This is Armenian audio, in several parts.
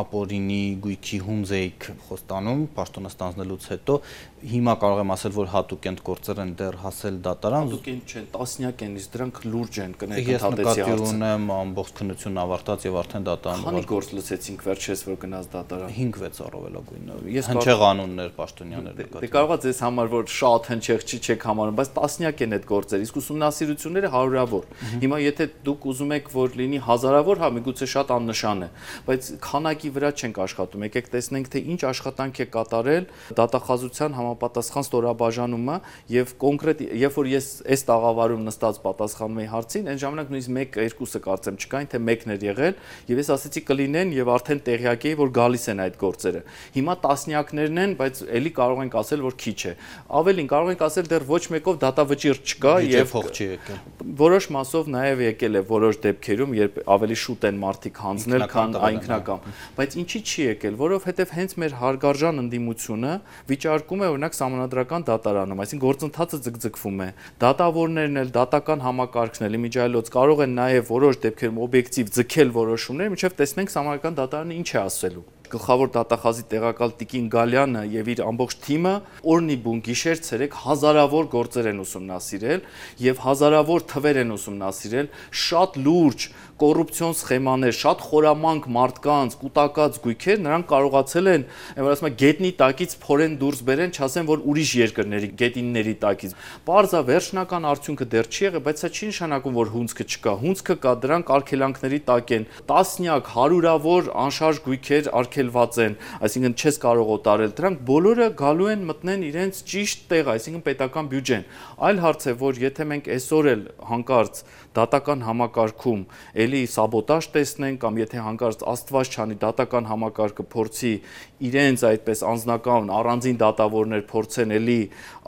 ապօրինի գույքի հունձեիք խոստանում պաշտոնը ստանձնելուց հետո հիմա կարող եմ ասել, որ հատուկ են գործեր են դեռ հասել դատարան։ Հատուկ են չեն, տասնյակ են, իսկ դրանք լուրջ են, Ես նկատի ունեմ ամբողջ քննությունն ավարտած եւ արդեն դատարան։ Քանի գործ լսեցինք վերջերս, որ գնաց դատարան։ 5-6 առավելագույնը։ Հնչեղ անուններ պաշտոնյաներ նկատի։ Դե կարող է ձեզ համար որ շատ հնչեղ չի չեք համարում, բայց տասնյակ են այդ գործեր, իսկ ուսումնասիրությունները հարյուրավոր։ Հիմա եթե դուք ուզում եք որ լինի հազարավոր, հա միգուցե շատ աննշան է, բայց քանակի վրա չենք աշխատում։ Եկեք տեսնենք թե ինչ աշխատանք է կատարել դատախազության համապատասխան ստորաբաժանումը եւ կոնկրետ երբ որ ես այս տաղավարում նստած պատասխանում էի հարցին, այն ժամանակ նույնիսկ 1-2-ը կարծեմ չկային, թե մեկն էր եղել եւ ես ասեցի կլինեն եւ արդեն տեղյակ էի որ գալիս են այդ գործերը։ Հիմա տասնյակներն են, բայց ելի կարող ենք ասել որ քիչ է։ Ավելին կարող ենք ասել դեռ ոչ մեկով դատավճիռ չկա եւ փող չի եկել։ Որոշ մասով նաեւ եկել է որոշ դեպքերում, երբ ավելի շուտ են մարդիկ հանձնել, քան ինքնական։ Բայց ինչի չի եկել, որովհետեւ հենց մեր հարգարժան ընդդիմությունը վիճարկում է օրինակ սահմանադրական դատարանում, այսինքն գործընթացը ձգձգվում է։ Դատավորներն էլ, դատական համակարգն էլ իմիջիայլոց կարող են նաեւ որոշ դեպքերում օբյեկտիվ ձգել որոշումներ, մինչեւ տեսնենք սահմանադրական դատարանը ինչ է ասելու։ Գլխավոր դատախազի տեղակալ Տիկին Գալյանը եւ իր ամբողջ թիմը օրնի բուն գիշեր ցերեկ հազարավոր գործեր են ուսումնասիրել եւ հազարավոր թվեր են ուսումնասիրել, շատ լուրջ կոռուպցիոն սխեմաներ, շատ խորամանկ մարդկանց, կուտակած գույքեր, նրանք կարողացել են, որ ասում եմ, գետնի տակից փորեն դուրս բերեն, չասեն, որ ուրիշ երկրների գետինների տակից։ Պարզա վերջնական արդյունքը դեռ չի եղել, բայց սա չի նշանակում, որ հունձքը չկա։ Հունձքը կա, դրանք արգելանքների տակ են։ Տասնյակ, հարյուրավոր անշարժ գույքեր արգելված են, այսինքն չես կարող օտարել։ Դրանք բոլորը գալու են մտնեն իրենց ճիշտ տեղ, այսինքն պետական բյուջեն։ Այլ հարց է, որ եթե մենք այսօր էլ հանկարծ դատական համակարգում էլի սաբոտաժ տեսնենք կամ եթե հանկարծ Աստված չանի դատական համակարգը փորձի իրենց այդպես անձնական առանձին դատավորներ փորձեն էլի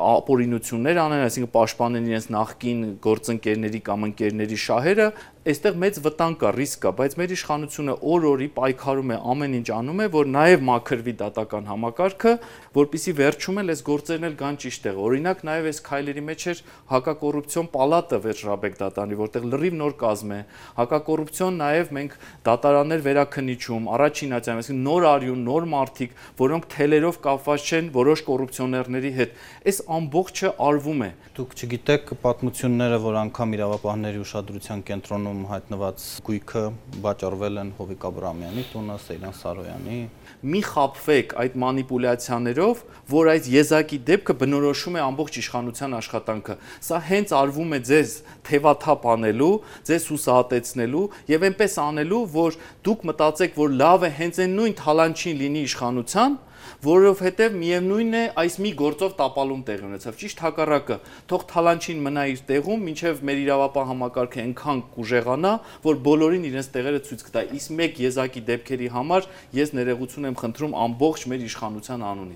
ապօրինություններ անեն, այսինքն պաշտպանեն իրենց նախկին գործընկերների կամ ընկերների շահերը, այստեղ մեծ վտանգ կա, ռիսկ կա, բայց մեր իշխանությունը օր-օրի պայքարում է, ամեն ինչ անում է, որ նաև մաքրվի դատական համակարգը, որպեսզի վերջում էլ այս գործերն էլ գան ճիշտ տեղ։ Օրինակ նաև այս քայլերի մեջ էր հակակոռուպցիոն պալատը Վերջրաբեկ դատարանի, որտեղ լրիվ նոր կազմ է։ Հակակոռուպցիոն նաև մենք դատարաններ վերաքննիչում, առաջին ատյան, այսինքն նոր արյուն, նոր մարդիկ, որոնք թելերով կապված չեն որոշ կոռուպցիոներների հետ։ Այս ամբողջը արվում է։ Դուք չգիտեք պատմությունները, որ անգամ իրավապահների ուշադրության կենտրոնում հայտնված գույքը վաճառվել են Հովիկ Աբրահամյանի տունը, Սեյրան Սարոյանի։ Մի խաբվեք այդ մանիպուլյացիաներով, որ այդ եզակի դեպքը բնորոշում է ամբողջ իշխանության աշխատանքը։ Սա հենց արվում է ձեզ թևաթափ անելու, ձեզ հուսահատեցնելու եւ այնպես անելու, որ դուք մտածեք, որ լավ է հենց այն նույն թալանչին լինի իշխանության, որովհետև միևնույնն է այս մի գործով տապալում տեղի ունեցավ, ճիշտ հակառակը, թող թալանչին մնա իր տեղում, մինչև մեր իրավապահ համակարգը այնքան կուժեղանա, որ բոլորին իրենց տեղերը ցույց կտա։ Իսկ մեկ եզակի դեպքերի համար ես ներողություն եմ խնդրում ամբողջ մեր իշխանության անունից։